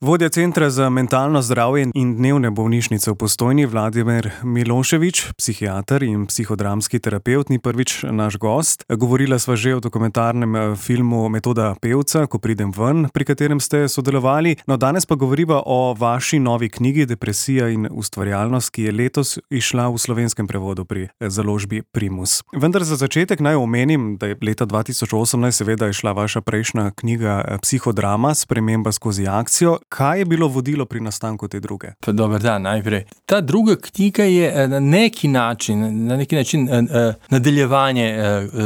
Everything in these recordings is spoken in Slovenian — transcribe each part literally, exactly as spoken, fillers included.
Vodja Centra za mentalno zdravje in dnevne bolnišnice v Postojni Vladimir Milošević, psihiater in psihodramski terapevt, ni prvič naš gost. Govorila sva že o dokumentarnem filmu Metoda pevca, Ko pridem ven, pri katerem ste sodelovali. No, danes pa govoriva o vaši novi knjigi Depresija in ustvarjalnost, ki je letos izšla v slovenskem prevodu pri založbi Primus. Vendar za začetek naj omenim, da je leta dva tisoč osemnajst seveda izšla vaša prejšnja knjiga Psihodrama, Sprememba skozi akcijo. Kaj je bilo vodilo pri nastanku te druge? Pa dober dan, najprej. Ta druga knjiga je na neki način, na neki način nadaljevanje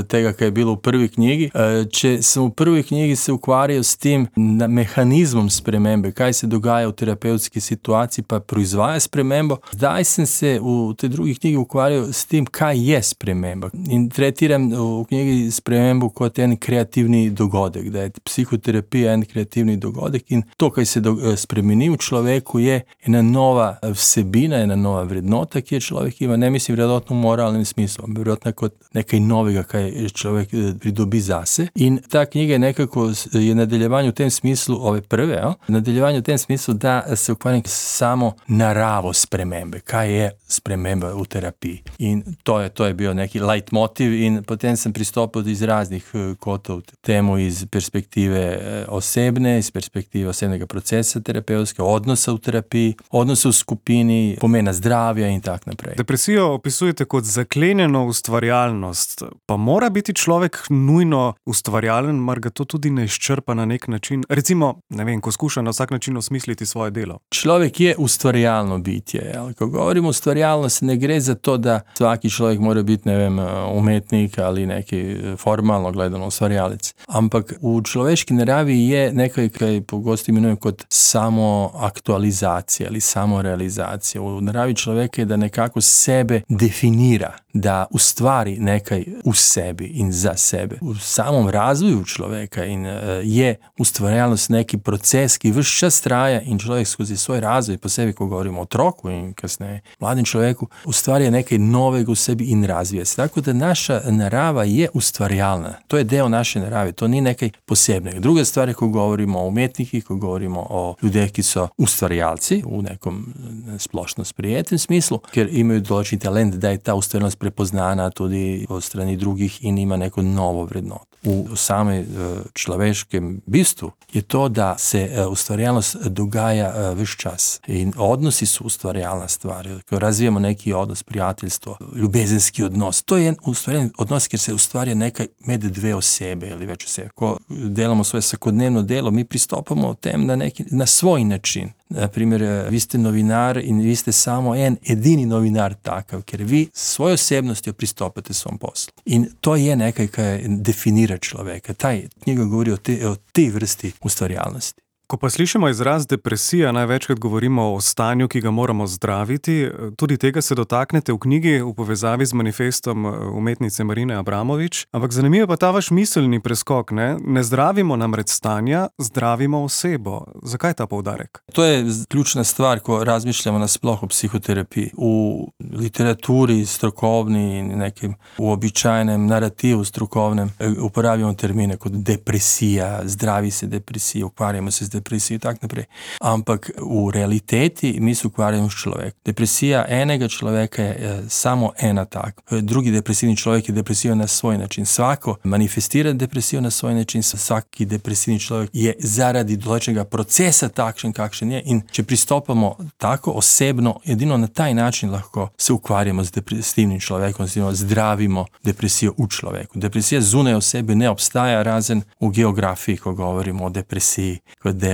tega, kar je bilo v prvi knjigi. Če sem v prvi knjigi se ukvarjal s tem mehanizmom spremembe, kaj se dogaja v terapevtski situaciji, pa proizvaja spremembo, zdaj sem se v tej drugi knjigi ukvarjal s tem, kaj je sprememba. In tretiram v knjigi spremembo kot en kreativni dogodek, da je psihoterapija en kreativni dogodek in to, kaj se spremeni v človeku, je ena nova vsebina, ena nova vrednota, ki je človek ima, ne mislim vrednotno v moralnem smislu, vrednotno kot nekaj novega, kaj človek pridobi zase. In ta knjiga je nekako je nadaljevanje v tem smislu ove prve, ja? Nadaljevanje v tem smislu, da se ukvarjam samo naravo spremembe, kaj je sprememba v terapiji. In to je, to je bil neki leitmotiv in potem sem pristopil iz raznih kotov temu iz perspektive osebne, iz perspektive osebnega procesa terapevtske, odnosa v terapiji, odnosa v skupini, pomena zdravja in tak naprej. Depresijo opisujete kot zaklenjeno ustvarjalnost. Pa mora biti človek nujno ustvarjalen, mar ga to tudi ne izčrpa na nek način? Recimo, ne vem, ko skuša na vsak način osmisliti svoje delo. Človek je ustvarjalno bitje. Ko govorimo o ustvarjalnosti, ne gre za to, da svaki človek mora biti, ne vem, umetnik ali neki formalno gledano ustvarjalec. Ampak v človeški naravi je nekaj, kaj pogosto imenujem kot samo aktualizacija ali samo realizacija. V naravi človeka je, da nekako sebe definira, da ustvari nekaj v sebi in za sebe. V samom razvoju človeka in je ustvarjalnost neki proces, ki ves čas traja in človek skozi svoj razvoj, posebej ko govorimo o otroku in kasneje mladim človeku, ustvarja nekaj novega v sebi in razvija se. Tako da naša narava je ustvarjalna. To je del naše narave, to ni nekaj posebnega. Druga stvar je, ko govorimo o umetnikih, ko govorimo o ljudeh, ki so ustvarjalci v nekom splošno sprijetem smislu, ker imajo določen talent, da je ta ustvarjalnost prepoznana tudi od strani drugih in ima neko novo vrednoto. V samem človeškem bistvu je to, da se ustvarjalnost dogaja ves čas. In odnosi so ustvarjalna stvar. Ko razvijamo neki odnos, prijateljstvo, ljubezenski odnos, to je en ustvarjalni odnos, kjer se ustvarja nekaj med dve osebe ali več osebe. Ko delamo svoje vsakodnevno delo, mi pristopamo v tem na, neki, na svoj način. Naprimer, vi ste novinar in vi ste samo en edini novinar takav, ker vi s svojo osebnostjo pristopate svom poslu. In to je nekaj, kar definira človeka. Ta knjiga govori o tej o tej vrsti ustvarjalnosti. Ko pa slišimo izraz depresija, največkrat govorimo o stanju, ki ga moramo zdraviti. Tudi tega se dotaknete v knjigi v povezavi z manifestom umetnice Marine Abramović. Ampak zanimivo pa ta vaš miselni preskok, ne? Ne zdravimo namreč stanja, zdravimo osebo. Zakaj ta poudarek? To je ključna stvar, ko razmišljamo nasploh o psihoterapiji. V literaturi strokovni in nekem uobičajenem narativu strokovnem uporabljamo termine kot depresija, zdravi se depresija, ukvarjamo se z depresijo in tak naprej. Ampak v realiteti mi se ukvarjamo s človekom. Depresija enega človeka je samo ena tak. Drugi depresivni človek je depresijo na svoj način. Svako manifestira depresijo na svoj način, vsaki depresivni človek je zaradi določenega procesa takšen, kakšen je. In če pristopamo tako osebno, edino na taj način lahko se ukvarjamo z depresivnim človekom, zdravimo depresijo v človeku. Depresija zunaj osebe ne obstaja, razen v geografiji, ko govorimo o depresiji, kot del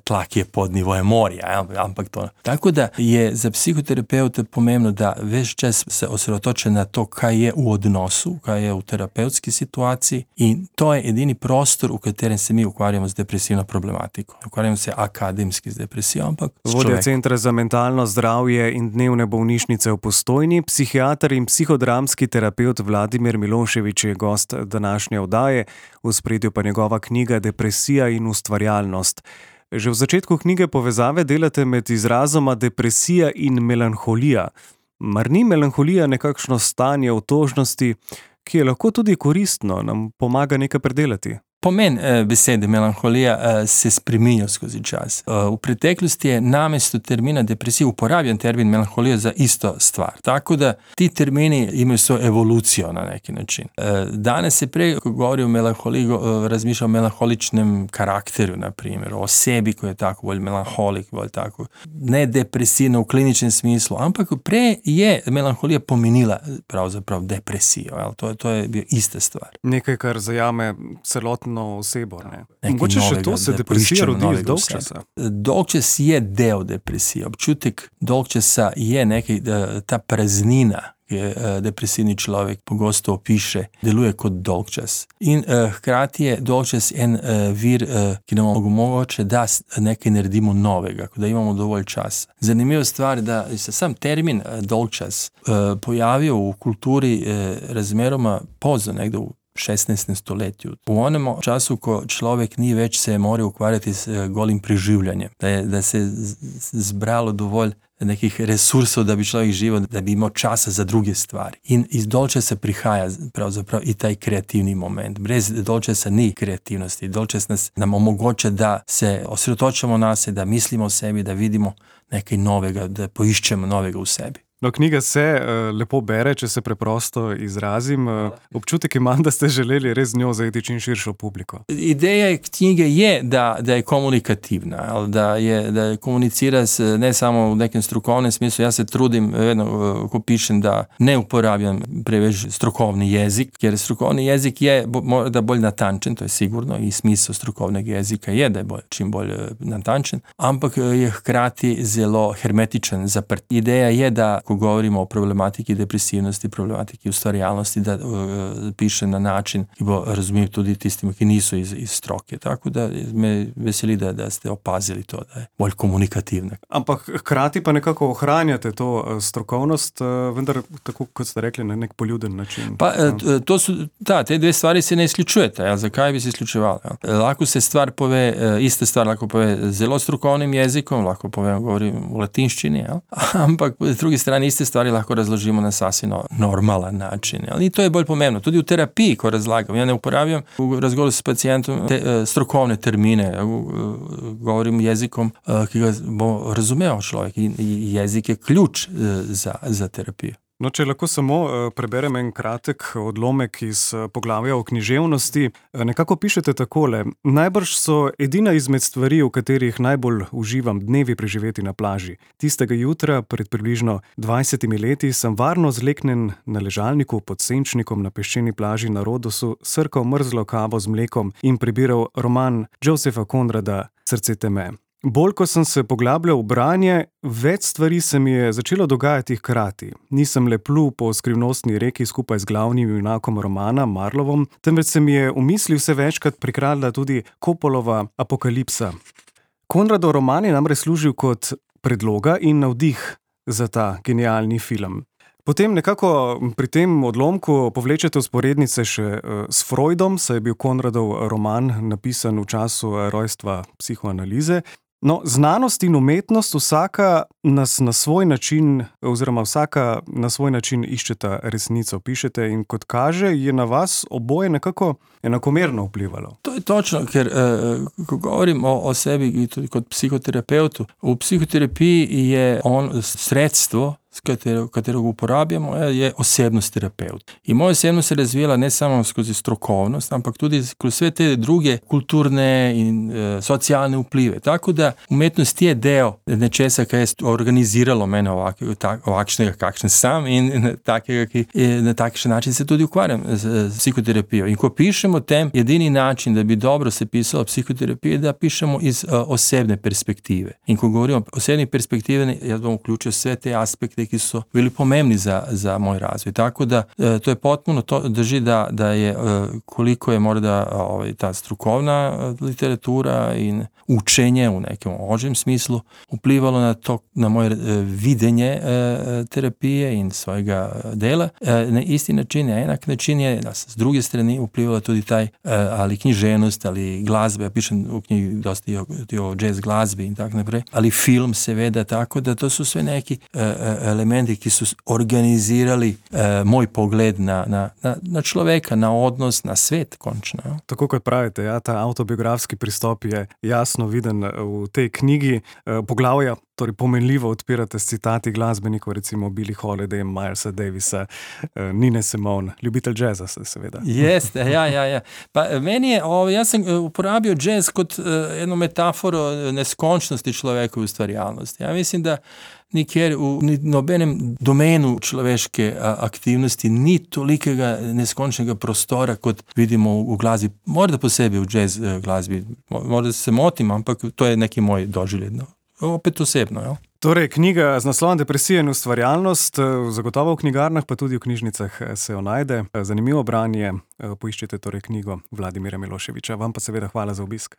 tla, ki je pod nivojem morja, ampak to. Tako da je za psihoterapeuta pomembno, da ves čas se osredotoča na to, kaj je v odnosu, kaj je v terapevtski situaciji in to je edini prostor, v katerem se mi ukvarjamo z depresivno problematiko. Ukvarjamo se akademski z depresijo, ampak s človekom. Vodja Centra za mentalno zdravje in dnevne bolnišnice v Postojni, psihiater in psihodramski terapevt Vladimir Milošević je gost današnje oddaje, v ospredju pa njegova knjiga Depresija in ustvarjalnost. Že v začetku knjige povezave delate med izrazoma depresija in melanholija. Mar ni melanholija nekakšno stanje otožnosti, ki je lahko tudi koristno, nam pomaga nekaj predelati? Pomen uh, besede melanholija uh, se spreminja skozi čas. Uh, v preteklosti je namesto termina depresija uporabljen termin melanholija za isto stvar. Tako da ti termini imaju svoju evolucijo na neki način. Uh, danas se prej, ko govori o melanholiji, uh, razmišlja o melanholičnem karakteru, na primjer, o osebi koji je tako bolj melanholik, bolj tako ne depresivno v kliničnem smislu, ampak prej je melanholija pomenila pravzaprav depresijo. Jel? To, to je bila ista stvar. Nekaj, kar zajame celotno osebo. Ne? Mogoče še to se depresija rodi dolg časa. Dolg čas je del depresije. Občutek dolg časa je nekaj, ta praznina, ki je depresivni človek pogosto opiše, deluje kot dolgčas. In uh, hkrati je dolgčas en uh, vir, uh, ki nam omogoča, da nekaj naredimo novega, da imamo dovolj časa. Zanimiva stvar, da se sam termin uh, dolgčas uh, pojavil v kulturi uh, razmeroma pozno, nekdo v šestnaestem stoletju. V onem času, ko človek ni več se moral ukvarjati s uh, golim preživljanjem, da, je, da se je zbralo dovolj nekih resursov, da bi človek živel, da bi imel časa za druge stvari. In iz dolgčasa prihaja pravzaprav i taj kreativni moment. Brez dolgčasa ni kreativnosti. Dolgčas nas nam omogoča, da se osredotočamo na se, da mislimo o sebi, da vidimo nekaj novega, da poiščemo novega v sebi. No, knjiga se uh, lepo bere, če se preprosto izrazim. Uh, občutek imam, da ste želeli res z njo zajeti čim širšo publiko. Ideja knjige je, da, da je komunikativna, da je, da je komunicira s, ne samo v nekem strokovnem smislu. Jaz se trudim, vedno, ko pišem, da ne uporabljam preveč strokovni jezik, ker strokovni jezik je morda bolj natančen, to je sigurno, i smisel strokovnega jezika je, da je bolj, čim bolj natančen, ampak je hkrati zelo hermetičen, zaprt. Ideja je, da ko govorimo o problematiki depresivnosti, problematiki ustvarjalnosti, da uh, pišem na način, ki bo razumljiv tudi tistim, ki niso iz, iz stroke. Tako da me veseli, da, da ste opazili to, da je bolj komunikativna. Ampak hkrati pa nekako ohranjate to uh, strokovnost, uh, vendar tako, kot ste rekli, na nek poljuden način. Pa, uh, to su, da, te dve stvari se ne izključujete. Ja? Zakaj bi se izključevali? Ja? Lahko se stvar pove, uh, ista stvar lahko pove zelo strokovnim jezikom, lahko povem, govorim v latinščini, ja? Ampak s druge strane iste stvari lahko razložimo na sasvim normalan način. Ali to je bolj pomembno. Tudi v terapiji, ko razlagam, ja ne uporabljam v razgovoru s pacijentom te, uh, strokovne termine, ja, uh, govorim jezikom, uh, ki ga bo razumel človek. In jezik je ključ uh, za, za terapijo. No, če lahko samo uh, preberem en kratek odlomek iz uh, poglavja o književnosti, uh, nekako pišete takole: najbrž so edina izmed stvari, v katerih najbolj uživam dnevi preživeti na plaži. Tistega jutra, pred približno dvajsetimi leti, sem varno zleknen na ležalniku pod senčnikom na peščeni plaži na Rodosu, srkal mrzlo kavo z mlekom in prebiral roman Josepha Conrada Srce teme. Bolj, ko sem se poglabljal v branje, več stvari se mi je začelo dogajati hkrati. Nisem le plul po skrivnostni reki skupaj z glavnim junakom romana, Marlovom, temveč se mi je v misli vse večkrat prikradla tudi Coppolova Apokalipsa. Conradov roman je namreč služil kot predloga in navdih za ta genialni film. Potem nekako pri tem odlomku povlečete vzporednice še s Freudom, saj je bil Conradov roman napisan v času rojstva psihoanalize. No, znanost in umetnost vsaka nas na svoj način, oziroma vsaka na svoj način iščeta resnico, pišete, in kot kaže, je na vas oboje nekako enakomerno vplivalo. To je točno, ker eh, ko govorim o, o sebi tudi kot psihoterapeutu, v psihoterapiji je on sredstvo, s katero, katero uporabljamo, je osebnost terapeut. In moja osebnost se razvijala ne samo skozi strokovnost, ampak tudi kroz sve te druge kulturne in e, socialne vplive. Tako da umetnost je del nečesa, kaj je organiziralo mene ovak, tak, ovakšnega, kakšen sam, in na, takega, ki, na takšen način se tudi ukvarjam z, z psihoterapijo. In ko pišemo o tem, edini način, da bi dobro se pisalo psihoterapije, da pišemo iz uh, osebne perspektive. In ko govorimo o osebni perspektivi, jaz bom vključil sve te aspekte, ki so bili pomembni za, za moj razvoj. Tako da uh, to je potpuno to drži, da, da je uh, koliko je morda uh, ovaj, ta strukovna uh, literatura in učenje u nekom ožem smislu vplivalo na to, na moje uh, videnje uh, terapije in svojega dela. Uh, na isti način, na enak način je da s druge strane vplivala tudi taj, uh, ali književnost, ali glazbe, ja pišem u knjigi dosta i o, i o jazz glazbi in tako naprej, ali film seveda, tako da to su sve neki uh, uh, elementi, ki so organizirali eh, moj pogled na, na, na, na človeka, na odnos, na svet končno. Ja. Tako kot pravite, ja, ta avtobiografski pristop je jasno viden v tej knjigi. Poglavja torej pomenljivo odpirate s citati glasbenikov, recimo Billie Holiday, Milesa Davisa, Nine Simone, ljubitelj džeza seveda. Jeste, ja, ja, ja. Pa meni je, o, jaz sem uporabil džez kot uh, eno metaforo neskončnosti človekove ustvarjalnosti. Ja mislim, da nikjer v nobenem domenu človeške aktivnosti ni tolikega neskončnega prostora, kot vidimo v glasbi, morda posebej v jazz glasbi. Morda se motim, ampak to je neki moj doživljaj. No. Opet osebno, jo. Torej, knjiga z naslovom Depresija in ustvarjalnost, zagotovo v knjigarnah, pa tudi v knjižnicah se jo najde. Zanimivo branje, poiščite torej knjigo Vladimira Miloševića. Vam pa seveda hvala za obisk.